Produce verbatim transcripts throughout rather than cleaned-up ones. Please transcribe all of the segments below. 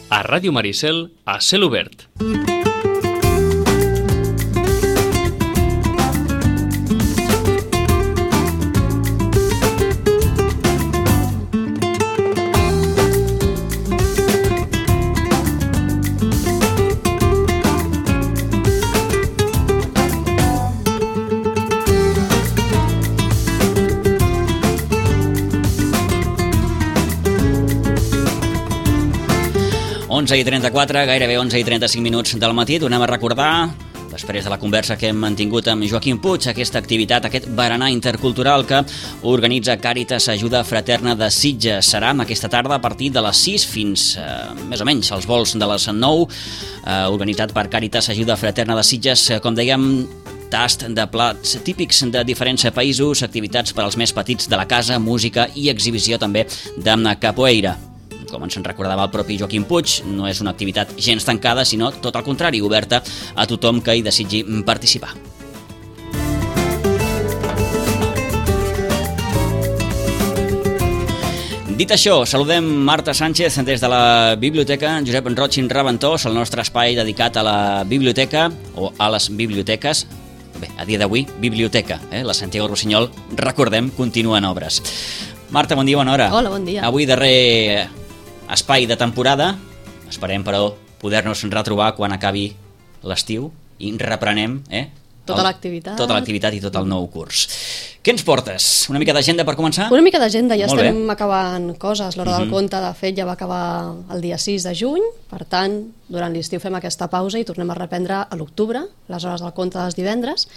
A Ràdio Maricel, a cel obert. onze i trenta-quatre, gairebé onze i trenta-cinc minuts del matí. Tornem a recordar, després de la conversa que hem mantingut amb Joaquim Puig, aquesta activitat, aquest berenar intercultural que organitza Càritas Ajuda Fraterna de Sitges. Serà aquesta tarda a partir de les sis fins, eh, més o menys, als vols de les nou, eh, organitzat per Càritas Ajuda Fraterna de Sitges, eh, com dèiem, tast de plats típics de diferents països, activitats per als més petits de la casa, música i exhibició també de capoeira. Com ens en recordava el propi Joaquim Puig, no és una activitat gens tancada, sinó tot el contrari, oberta a tothom que hi desitgi participar. Dit això, saludem Marta Sánchez des de la Biblioteca Josep Roig i Raventós, el nostre espai dedicat a la biblioteca o a les biblioteques. Bé, a dia d'avui, biblioteca, eh? La Santiago Rossinyol, recordem, continua en obres. Marta, bon dia, bona hora. Hola, bon dia. Avui darrer espai de temporada, esperem però poder-nos retrobar quan acabi l'estiu i reprenem eh, tota l'activitat tota l'activitat i tot el nou curs. Què ens portes? Una mica d'agenda per començar? Una mica d'agenda, ja Molt estem bé. acabant coses. L'hora Uh-huh. del conte, de fet, ja va acabar el dia sis de juny, per tant, durant l'estiu fem aquesta pausa i tornem a reprendre a l'octubre, les hores del conte dels divendres.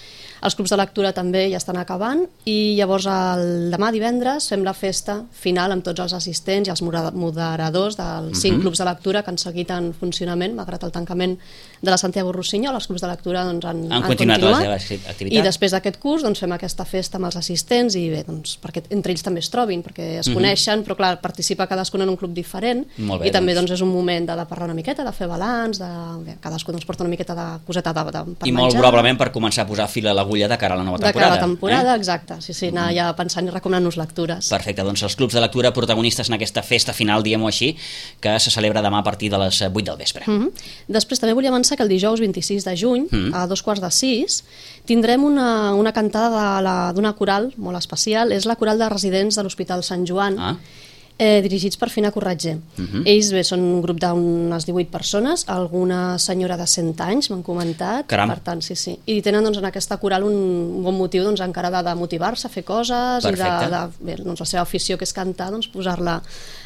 Els clubs de lectura també ja estan acabant i llavors el demà divendres fem la festa final amb tots els assistents i els moderadors dels cinc Uh-huh. clubs de lectura que han seguit en funcionament, malgrat el tancament de la Santiago Rossinyol. Els clubs de lectura doncs, han, Han han continuat la continuat seva activitat. I després d'aquest curs doncs, fem aquesta festa amb els assistents i bé, doncs, perquè entre ells també es trobin, perquè es Mhm. coneixen, però clar, participa cadascun en un club diferent. Molt bé, I també doncs. doncs, és un moment de, de parlar una miqueta, de fer balanç, de, bé, cadascú doncs, porta una miqueta de coseta de, de, per I menjar. molt probablement per començar a posar fil a l'agulla de cara a la nova de temporada. cara a la temporada, eh? exacte. Sí, sí, anar ja pensant i recomanant-nos lectures. Perfecte, doncs els clubs de lectura protagonistes en aquesta festa final, diguem-ho així, que se celebra demà a partir de les vuit del vespre. Mm -hmm. Després també volia avançar que el dijous vint-i-sis de juny, Mm. a dos quarts de sis, tindrem una, una cantada d'una coral molt especial. És la coral de residents de l'Hospital Sant Joan, Ah. eh, dirigits per Fina Corretger. Mhm. Ells bé, són un grup d'unes divuit persones, alguna senyora de cent anys, m'han comentat. Caram. Per tant, sí, sí. I tenen doncs, en aquesta coral un bon motiu doncs, encara de, de motivar-se a fer coses. Perfecte. I de, de, bé, doncs, la seva afició, que és cantar, doncs, posar-la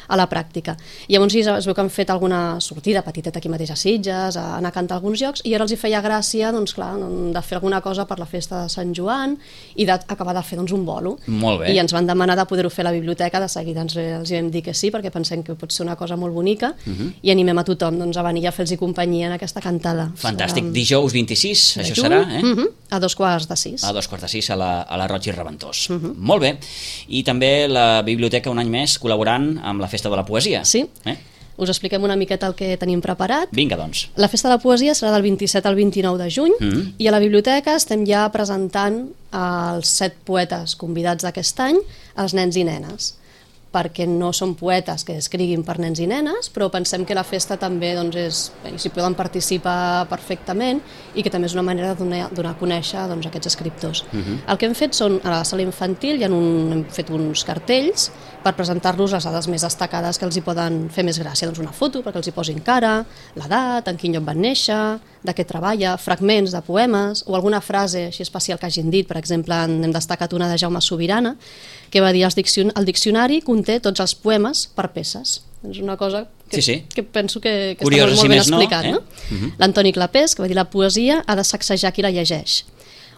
a la pràctica. I llavors sí, es veu que han fet alguna sortida petiteta aquí mateix a Sitges, a anar a cantar a alguns llocs, i ara els hi feia gràcia doncs, clar, de fer alguna cosa per la festa de Sant Joan i d'acabar de fer doncs, un bolo. Molt bé. I ens van demanar de poder-ho fer a la biblioteca, de seguida ens, els hi vam dir que sí, perquè pensem que pot ser una cosa molt bonica, Mhm. i animem a tothom doncs, a venir a fer-los companyia en aquesta cantada. Fantàstic. Serà Dijous vint-i-sis, de això juny, serà, eh? mhm, a dos quarts de sis. A dos quarts de sis a la, a la Roig i Raventós. Mhm. Molt bé. I també la biblioteca un any més col·laborant amb la Festa de la Poesia. Sí. Eh? Us expliquem una miqueta el que tenim preparat. Vinga, doncs. La Festa de la Poesia serà del vint-i-set al vint-i-nou de juny Mm. i a la biblioteca estem ja presentant els set poetes convidats d'aquest any als nens i nenes, perquè no són poetes que escriguin per nens i nenes, però pensem que la festa també doncs, és, bé, s'hi poden participar perfectament i que també és una manera de donar, donar a conèixer doncs, aquests escriptors. Mhm. El que hem fet són, a la sala infantil, ja un, hem fet uns cartells per presentar-los les dades més destacades que els hi poden fer més gràcia, doncs una foto perquè els hi posin cara, l'edat, en quin lloc van néixer, de què treballa, fragments de poemes o alguna frase així especial que hagin dit. Per exemple, hem destacat una de Jaume Sobirana, que va dir el, diccion el diccionari conté tots els poemes per peces. És una cosa que, Sí, sí. que penso que, que Curiosa, està molt, si molt ben més no, explicat. eh? No? Mhm. L'Antoni Clapés, que va dir la poesia ha de sacsejar qui la llegeix.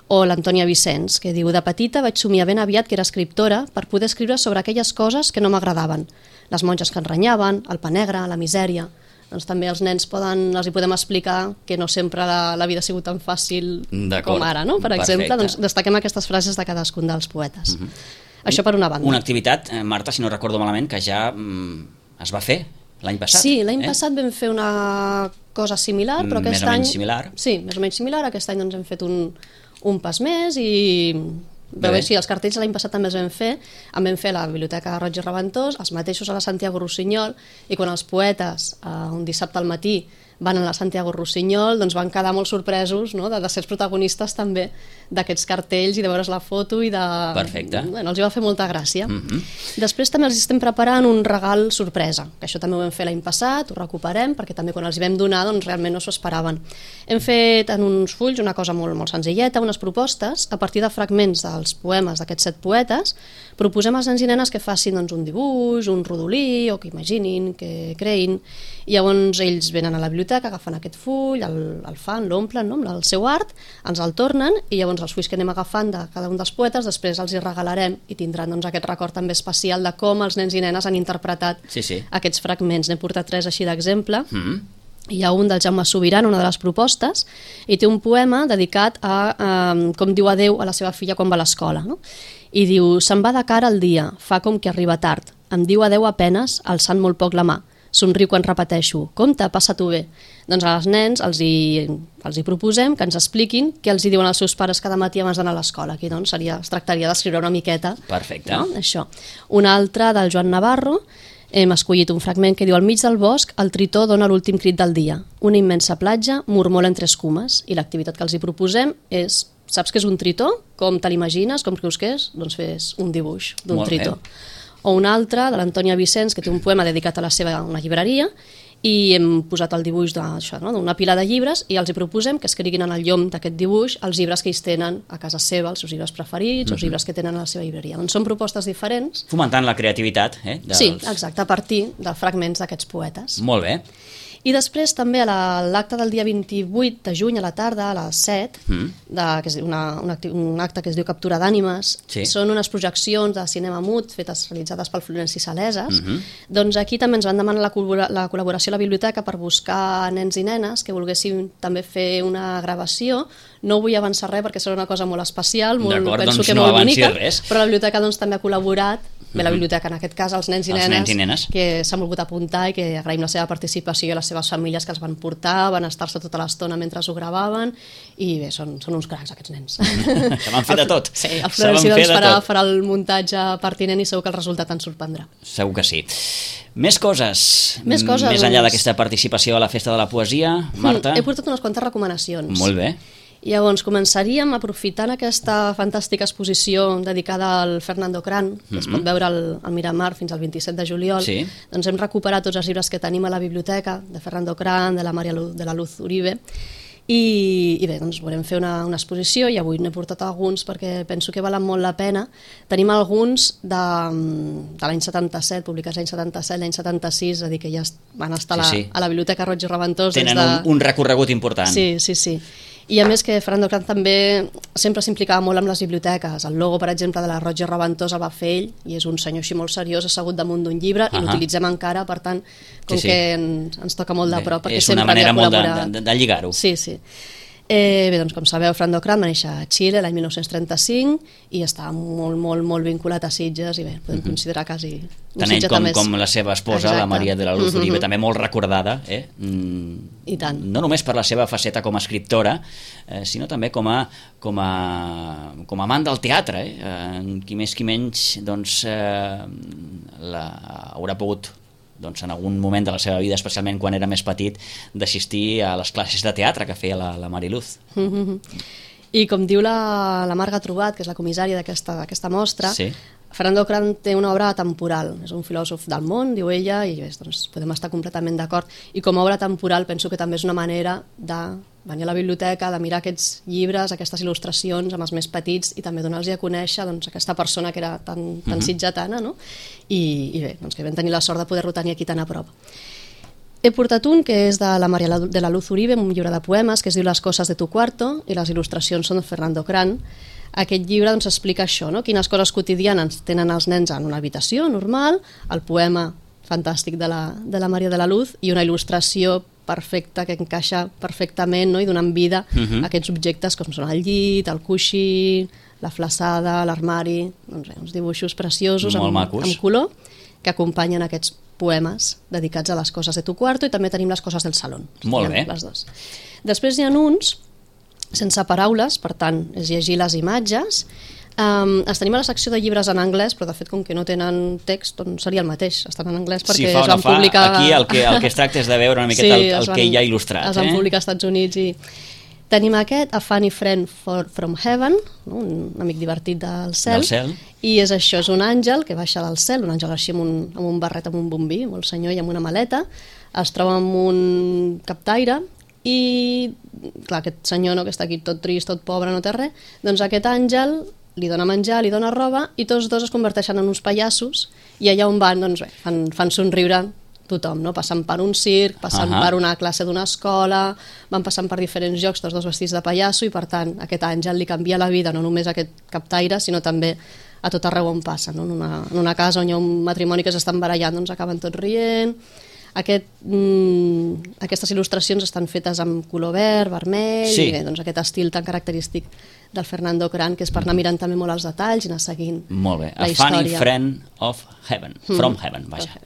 O l'Antònia Vicenç, que diu: de petita vaig somiar ben aviat que era escriptora per poder escriure sobre aquelles coses que no m'agradaven. Les monges que ens renyaven, el pa negre, la misèria. Doncs també els nens poden, els hi podem explicar que no sempre la, la vida ha sigut tan fàcil D'acord. com ara, no? Per Perfecte. exemple, doncs destaquem aquestes frases de cadascun dels poetes. Mhm. Això per una banda. Una activitat, eh, Marta, si no recordo malament, que ja mm, es va fer l'any passat. Sí, l'any eh? passat vam fer una cosa similar, però Més aquest o any... menys similar. Sí, més o menys similar. Aquest any doncs, hem fet un, un pas més i Però bé, sí, els cartells l'any passat també els vam fer, en vam fer a la Biblioteca Roig i Reventós, els mateixos a la Santiago Rossinyol, i quan els poetes, eh, un dissabte al matí, van a la Santiago Rossinyol, doncs van quedar molt sorpresos, no?, de, de ser els protagonistes també d'aquests cartells i de veure's la foto i de... Perfecte. Bueno, els hi va fer molta gràcia. Mm -hmm. Després també els estem preparant un regal sorpresa, que això també ho vam fer l'any passat, ho recuperem, perquè també quan els hi vam donar doncs realment no s'ho esperaven. Hem fet en uns fulls una cosa molt, molt senzilleta, unes propostes, a partir de fragments dels poemes d'aquests set poetes, proposem als nens i nenes que facin doncs, un dibuix, un rodolí, o que imaginin, que creïn, i llavors ells venen a la biblioteca, agafen aquest full, el, el fan, l'omplen, no?, amb el seu art, ens el tornen, i llavors els fulls que anem agafant de cada un dels poetes, després els hi regalarem i tindran doncs, aquest record també especial de com els nens i nenes han interpretat sí, sí. aquests fragments. N'he portat tres així d'exemple. Mm. Hi ha un del Jaume Sobiran, una de les propostes, i té un poema dedicat a eh, com diu adeu a la seva filla quan va a l'escola, no? I diu: se'n va de cara el dia, fa com que arriba tard, em diu adeu a penes, alçant molt poc la mà, somriu quan repeteixo, compte, passa-t'ho bé. Doncs als nens els hi, els hi proposem que ens expliquin què els hi diuen els seus pares cada matí abans d'anar a l'escola. Aquí doncs seria, es tractaria d'escriure una miqueta. Perfecte. No? Això. Un altre del Joan Navarro, hem escollit un fragment que diu: al mig del bosc el tritó dona l'últim crit del dia, una immensa platja mormola entre escumes, i l'activitat que els hi proposem és: saps què és un tritó? Com te l'imagines? Com creus que és? Doncs fes un dibuix d'un tritó. Bé. O un altre, de l'Antònia Vicenç, que té un poema dedicat a la seva una llibreria, i hem posat el dibuix d'una no? pila de llibres, i els hi proposem que escriguin en el llom d'aquest dibuix els llibres que ells tenen a casa seva, els seus llibres preferits, mm-hmm. els llibres que tenen a la seva llibreria. Doncs són propostes diferents. Fomentant la creativitat. Eh, dels... Sí, exacte, a partir de fragments d'aquests poetes. Molt bé. I després també a l'acte del dia vint-i-vuit de juny a la tarda, a les set, mm. de, que és una, un, acte, un acte que es diu Captura d'Ànimes, sí. Són unes projeccions de cinema mut fetes, realitzades pel Florenci Saleses. Mm-hmm. Doncs aquí també ens van demanar la, col·labora, la col·laboració a la biblioteca per buscar nens i nenes que volguessin també fer una gravació. No vull avançar res perquè serà una cosa molt especial, molt, penso doncs que no molt bonica, res. Però la biblioteca doncs, també ha col·laborat. Bé, la biblioteca, en aquest cas, els nens i, els nenes, nens i nenes que s'han volgut apuntar i que agraïm la seva participació i a les seves famílies que els van portar, van estar-se tota l'estona mentre ho gravaven, i bé, són, són uns cracs aquests nens. Se van fer de tot. Sí, el Florenci doncs, farà, farà el muntatge pertinent i segur que el resultat ens sorprendrà. Segur que sí. Més coses, més, coses, més enllà doncs... d'aquesta participació a la Festa de la Poesia, Marta? Mm, he portat unes quantes recomanacions. Molt bé. Llavors, començaríem aprofitant aquesta fantàstica exposició dedicada al Fernando Cran, que mm-hmm. es pot veure al, al Miramar fins al vint-i-set de juliol. Sí. Doncs hem recuperat tots els llibres que tenim a la biblioteca, de Fernando Cran, de la Maria Luz, de la Luz Uribe, i, i bé, doncs volem fer una, una exposició, i avui n'he portat alguns perquè penso que valen molt la pena. Tenim alguns de, de l'any setanta-set, publicats l'any setanta-set, l'any setanta-sis, és a dir, que ja van estar sí, sí. a la Biblioteca Roig i Reventós. Tenen de... un, un recorregut important. Sí, sí, sí. I a més que Fernando Cran també sempre s'implicava molt amb les biblioteques. El logo, per exemple, de la Roig i Reventós el va fer ell, i és un senyor així molt seriós, assegut damunt d'un llibre, uh-huh. i l'utilitzem encara, per tant, com sí, sí. que ens, ens toca molt de prop. Bé, és una manera molt de, de, de lligar-ho. Sí, sí. Eh, bé, doncs com sabeu, Fernando Cran va néixer a Xile l'any mil nou-cents trenta-cinc i està molt, molt, molt vinculat a Sitges, i bé, podem uh-huh. considerar quasi un tant ell com, més... com la seva esposa, exacte. La Maria de la Luz uh-huh. Uribe, també molt recordada, eh? Mm, I tant. No només per la seva faceta com a escriptora, eh, sinó també com a, com a, com a amant del teatre, eh? Eh, qui més qui menys doncs, eh, la, haurà pogut doncs, en algun moment de la seva vida, especialment quan era més petit, d'assistir a les classes de teatre que feia la, la Mariluz. Mm-hmm. I com diu la, la Marga Trobat, que és la comissària d'aquesta mostra, sí. Fernando Cran té una obra atemporal, és un filòsof del món, diu ella, i bé, doncs, podem estar completament d'acord, i com a obra atemporal penso que també és una manera de venir a la biblioteca, de mirar aquests llibres, aquestes il·lustracions amb els més petits, i també donar-los a conèixer doncs, aquesta persona que era tan, tan uh-huh. sitgetana, no? I, i bé, doncs, que vam tenir la sort de poder-lo tenir aquí tan a prop. He portat un que és de la Maria de la Luz Uribe, un llibre de poemes que es diu Les coses de tu cuarto, i les il·lustracions són de Fernando Cran. Aquest llibre doncs, explica això, no? Quines coses quotidianes tenen els nens en una habitació normal, el poema fantàstic de la, de la Maria de la Luz i una il·lustració perfecta que encaixa perfectament, no? I donant vida uh-huh. a aquests objectes com són el llit, el coixí, la flaçada, l'armari, doncs, uns dibuixos preciosos amb, amb color que acompanyen aquests poemes dedicats a les coses de tu cuarto, i també tenim les coses del salón. Molt bé. Les dos. Després hi ha uns sense paraules, per tant, és llegir les imatges. Um, els tenim a la secció de llibres en anglès, però de fet com que no tenen text doncs seria el mateix, estan en anglès perquè si fa es no van fa, publicar... aquí el que, el que es tracta és de veure una miqueta sí, el, el van, que hi ha il·lustrat. Es van eh? publicar als Estats Units i... Tenim aquest, A Funny Friend for, from Heaven, no? Un amic divertit del cel, del cel, i és això, és un àngel que baixa del cel, un àngel així amb un, amb un barret, amb un bombí, molt senyor i amb una maleta, es troba amb un captaire i, clar, aquest senyor no, que està aquí tot trist, tot pobre, no té res, doncs aquest àngel li dona menjar, li dona roba i tots dos es converteixen en uns pallassos i allà on van, doncs bé, fan, fan somriure tothom, no? Passant per un circ, passant uh-huh. per una classe d'una escola, van passant per diferents llocs, tots dos vestits de pallasso, i per tant aquest àngel li canvia la vida no només a aquest captaire, sinó també a tot arreu on passa, no? En, una, en una casa on hi ha un matrimoni que s'estan barallant, doncs acaben tots rient. Aquest, mm, aquestes il·lustracions estan fetes amb color verd, vermell, sí. i bé, doncs aquest estil tan característic del Fernando Cran, que és per anar mirant també molt els detalls i anar seguint molt bé. la A història. Funny Friend of Heaven, from mm. Heaven, vaja.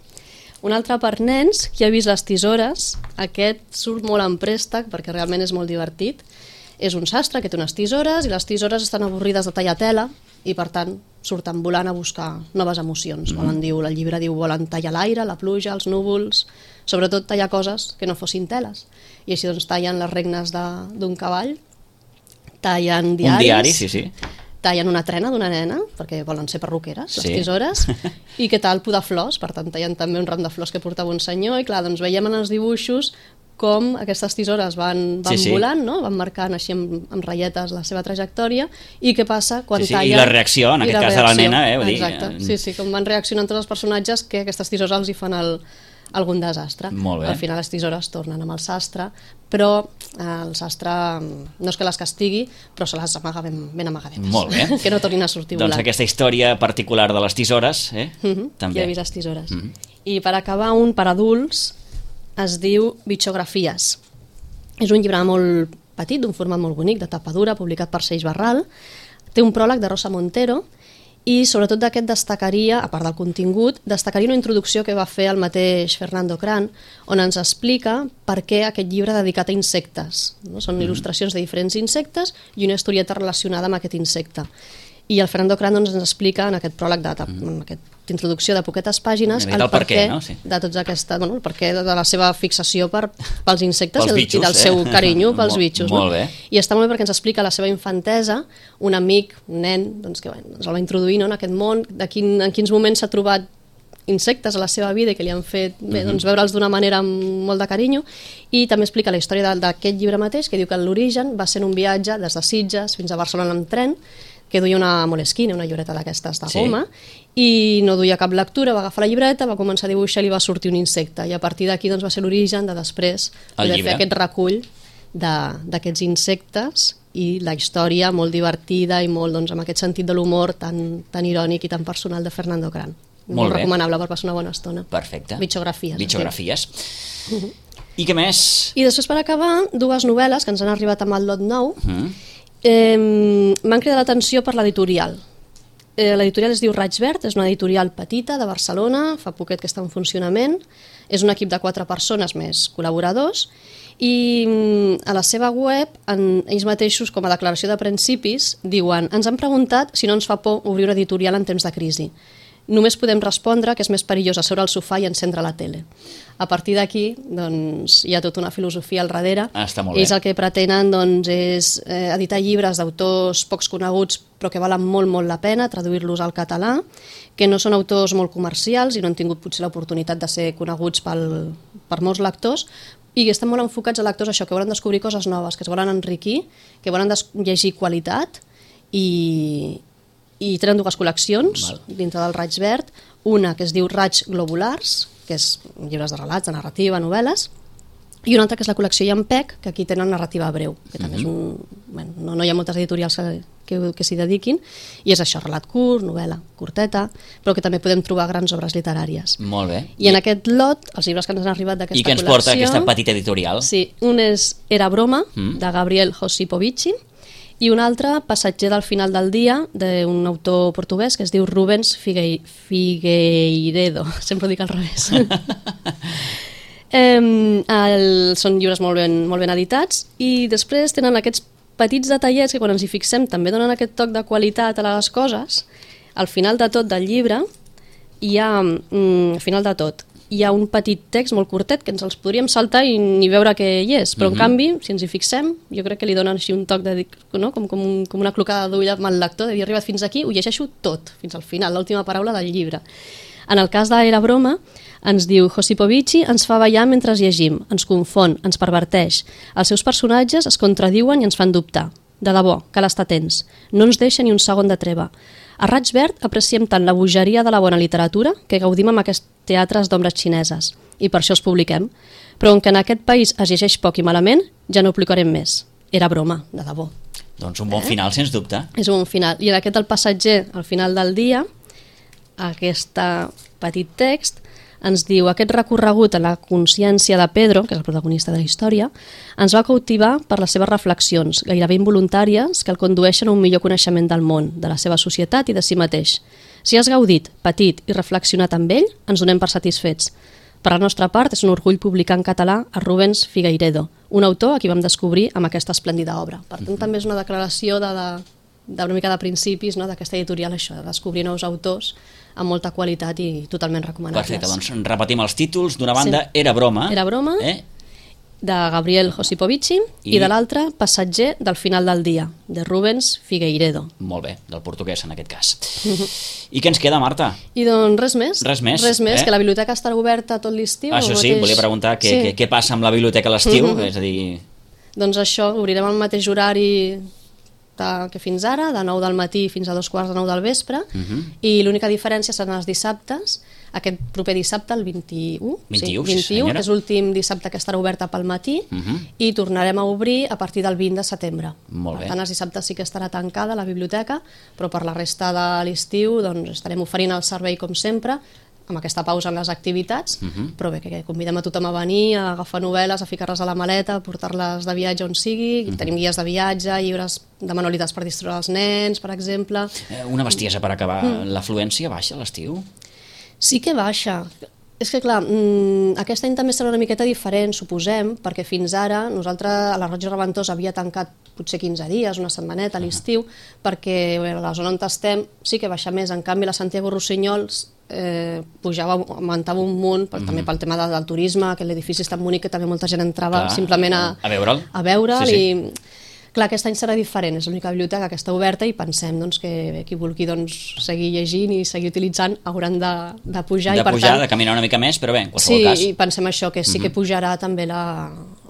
Un altre per nens, qui ha vist Les tisores, aquest surt molt en préstec perquè realment és molt divertit. És un sastre que té unes tisores i les tisores estan avorrides de tallar tela i per tant surten volant a buscar noves emocions. Mm. Volen, diu, el llibre diu volen tallar l'aire, la pluja, els núvols, sobretot tallar coses que no fossin teles. I així doncs tallen les regnes d'un cavall, tallen diaris... Un diari, sí, sí. Tallen una trena d'una nena, perquè volen ser perruqueres, les sí. tisores, i què tal podar flors, per tant tallen també un ram de flors que portava un senyor, i clar, doncs veiem en els dibuixos com aquestes tisores van, van sí, sí. volant, no? Van marcant així amb, amb ratlletes la seva trajectòria, i què passa quan sí, sí. tallen... I la reacció, en aquest cas de la nena, eh? Vull Exacte, dir... sí, sí, com van reaccionant tots els personatges que aquestes tisores els hi fan el, algun desastre. Molt bé. Al final les tisores tornen amb el sastre, però eh, el sastre no és que les castigui, però se les amaga ben, ben amagadetes. Molt bé. Que no tornin a sortir volant. Doncs aquesta història particular de les tisores, eh? Mm-hmm. També. Ja he vist les tisores. Mm-hmm. I per acabar, un per adults es diu Bitxografies. És un llibre molt petit, d'un format molt bonic, de tapa dura, publicat per Seix Barral. Té un pròleg de Rosa Montero, i sobretot d'aquest destacaria, a part del contingut, destacaria una introducció que va fer el mateix Fernando Cran, on ens explica per què aquest llibre dedicat a insectes. No? Són mm. il·lustracions de diferents insectes i una historieta relacionada amb aquest insecte. I el Fernando Cran doncs, ens explica en aquest pròleg, de, mm. en aquesta introducció de poquetes pàgines, el, el per què, no? Sí. de tots aquesta, bueno, el perquè de la seva fixació per, pels insectes pels i, bitxos, i del eh? seu carinyo pels molt, bitxos. Molt no? bé. I està molt bé perquè ens explica la seva infantesa, un amic, un nen, doncs, que bueno, ens el va introduir no, en aquest món, de quin, en quins moments s'ha trobat insectes a la seva vida i que li han fet bé, doncs, veure'ls d'una manera amb molt de carinyo, i també explica la història d'aquest llibre mateix, que diu que l'origen va ser en un viatge des de Sitges fins a Barcelona amb tren, que duia una Moleskine, una llibreta d'aquestes de goma, sí. i no duia cap lectura, va agafar la llibreta, va començar a dibuixar i li va sortir un insecte, i a partir d'aquí doncs, va ser l'origen de després poder fer aquest recull d'aquests insectes i la història molt divertida i molt doncs, amb aquest sentit de l'humor tan, tan irònic i tan personal de Fernando Cran. Molt, molt recomanable per passar una bona estona. Perfecte. Bitxografies. Bitxografies. Sí. Uh-huh. I què més? I després, per acabar, dues novel·les que ens han arribat amb el lot nou. Uh-huh. Eh, m'han cridat l'atenció per l'editorial. Eh, l'editorial es diu Raig Verd, és una editorial petita de Barcelona, fa poquet que està en funcionament, és un equip de quatre persones més col·laboradors, i a la seva web, en, ells mateixos, com a declaració de principis, diuen: ens han preguntat si no ens fa por obrir una editorial en temps de crisi. Només podem respondre que és més perillós asseure al sofà i encendre la tele. A partir d'aquí doncs, hi ha tota una filosofia al darrere. Ah, està molt bé. Ells el que pretenen doncs, és eh, editar llibres d'autors pocs coneguts però que valen molt, molt la pena, traduir-los al català, que no són autors molt comercials i no han tingut potser l'oportunitat de ser coneguts pel, per molts lectors, i estan molt enfocats a lectors això, que volen descobrir coses noves, que es volen enriquir, que volen llegir qualitat, i, i tenen dues col·leccions Val. dintre del Raig Verd, una que es diu Raig Globulars, que és llibres de relats, de narrativa, novel·les, i una altra que és la col·lecció Llampec, que aquí tenen narrativa breu, que també és un... Bueno, no, no hi ha moltes editorials que, que, que s'hi dediquin, i és això, relat curt, novel·la curteta, però que també podem trobar grans obres literàries. Molt bé. I, I en aquest lot, els llibres que ens han arribat d'aquesta col·lecció... I que ens porta aquesta petita editorial. Sí, un és Era broma, mm. de Gabriel Josipovici, i un altre, Passatger del final del dia, d'un autor portuguès que es diu Rubens Figue... Figueiredo. Sempre ho dic al revés. eh, el, són llibres molt ben, molt ben editats, i després tenen aquests petits detallets que quan ens hi fixem també donen aquest toc de qualitat a les coses. Al final de tot del llibre hi ha, mm, al final de tot, hi ha un petit text molt curtet que ens els podríem saltar i ni veure què hi és, però uh-huh. en canvi, si ens hi fixem, jo crec que li donen així un toc de, no? com, com, un, com una clocada d'ull amb el lector, de dir, he arribat fins aquí, ho llegeixo tot, fins al final, l'última paraula del llibre. En el cas d'Era broma, ens diu Josipovici ens fa ballar mentre llegim, ens confon, ens perverteix. Els seus personatges es contradiuen i ens fan dubtar. De debò, cal estar atents. No ens deixa ni un segon de treva. A Raig Verd apreciem tant la bogeria de la bona literatura que gaudim amb aquests teatres d'ombres xineses, i per això els publiquem. Però on que en aquest país es llegeix poc i malament, ja no ho publicarem més. Era broma, de debò. Doncs un bon eh? final, sens dubte. És un bon final. I en aquest El passatger, al final del dia, aquest petit text ens diu aquest recorregut a la consciència de Pedro, que és el protagonista de la història, ens va cautivar per les seves reflexions, gairebé involuntàries, que el condueixen a un millor coneixement del món, de la seva societat i de si mateix. Si has gaudit, patit i reflexionat amb ell, ens donem per satisfets. Per la nostra part, és un orgull publicar en català a Rubens Figueiredo, un autor a qui vam descobrir amb aquesta esplèndida obra. Per tant, mm-hmm. també és una declaració de, de, d'una mica de principis, no?, d'aquesta editorial, això, de descobrir nous autors amb molta qualitat i totalment recomanables. Perfecte, doncs repetim els títols. D'una banda, sí. Era broma. Era broma, eh? de Gabriel Josipovici, i, i de l'altra, Passatger del final del dia, de Rubens Figueiredo. Molt bé, del portuguès en aquest cas. I què ens queda, Marta? I doncs res més. Res més, res més eh? que la biblioteca estarà oberta tot l'estiu. Això sí, mateix... volia preguntar què, sí. què, què passa amb la biblioteca a l'estiu, és a dir... Doncs això, obrirem el mateix horari que fins ara, de nou del matí fins a dos quarts de nou del vespre, uh-huh. i l'única diferència seran els dissabtes, aquest proper dissabte, el vint-i-u, vint-i-u, sí, vint-i-u, sí, que és l'últim dissabte que estarà oberta pel matí, uh-huh. i tornarem a obrir a partir del vint de setembre. Molt bé. Per tant, els dissabtes sí que estarà tancada la biblioteca, però per la resta de l'estiu doncs, estarem oferint el servei com sempre, amb aquesta pausa en les activitats, uh-huh. però bé, que, que convidem a tothom a venir, a agafar novel·les, a ficar-les a la maleta, a portar-les de viatge on sigui, uh-huh. tenim guies de viatge, llibres de manualitats per distraure els nens, per exemple. Eh, una bestiesa per acabar, uh-huh. l'afluència baixa a l'estiu? Sí que baixa. És que clar, mmm, aquest any també serà una miqueta diferent, suposem, perquè fins ara nosaltres a la Roig i Reventós havia tancat potser quinze dies, una setmaneta a l'estiu, uh-huh. perquè bé, a la zona on estem sí que baixa més. En canvi, la Santiago Rossinyols eh, pujava, augmentava un munt, uh-huh. també pel tema del turisme, que l'edifici està en bonic, que també molta gent entrava clar, simplement a, a veure'l. A veure'l sí, sí. i... Clar, aquest any serà diferent, és l'única biblioteca que està oberta i pensem doncs, que qui vulgui doncs, seguir llegint i seguir utilitzant hauran de, de pujar. De i, per pujar, tant, de caminar una mica més, però bé, en qualsevol sí, cas. Sí, i pensem això, que sí uh-huh. que pujarà també la,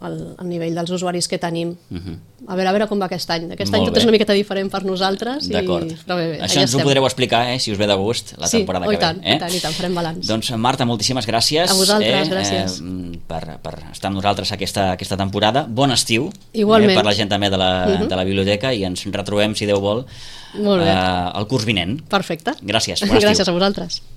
el, el nivell dels usuaris que tenim. Uh-huh. A veure, a veure com va aquest any. Aquest Molt any tot bé. És una miqueta diferent per nosaltres. D'acord. I... Però bé, bé, això ens estem. Ho podreu explicar, eh, si us ve de gust, la sí, temporada oh, que tant, ve. Eh? I tant, i tant, farem balanç. Doncs Marta, moltíssimes gràcies. A vosaltres, eh, gràcies. Eh, per, per estar amb nosaltres aquesta, aquesta temporada. Bon estiu. Igualment. Eh, per la gent també de la, uh-huh. de la biblioteca i ens retrobem, si Déu vol, Molt bé. eh, el curs vinent. Perfecte. Gràcies, bon estiu. Gràcies a vosaltres.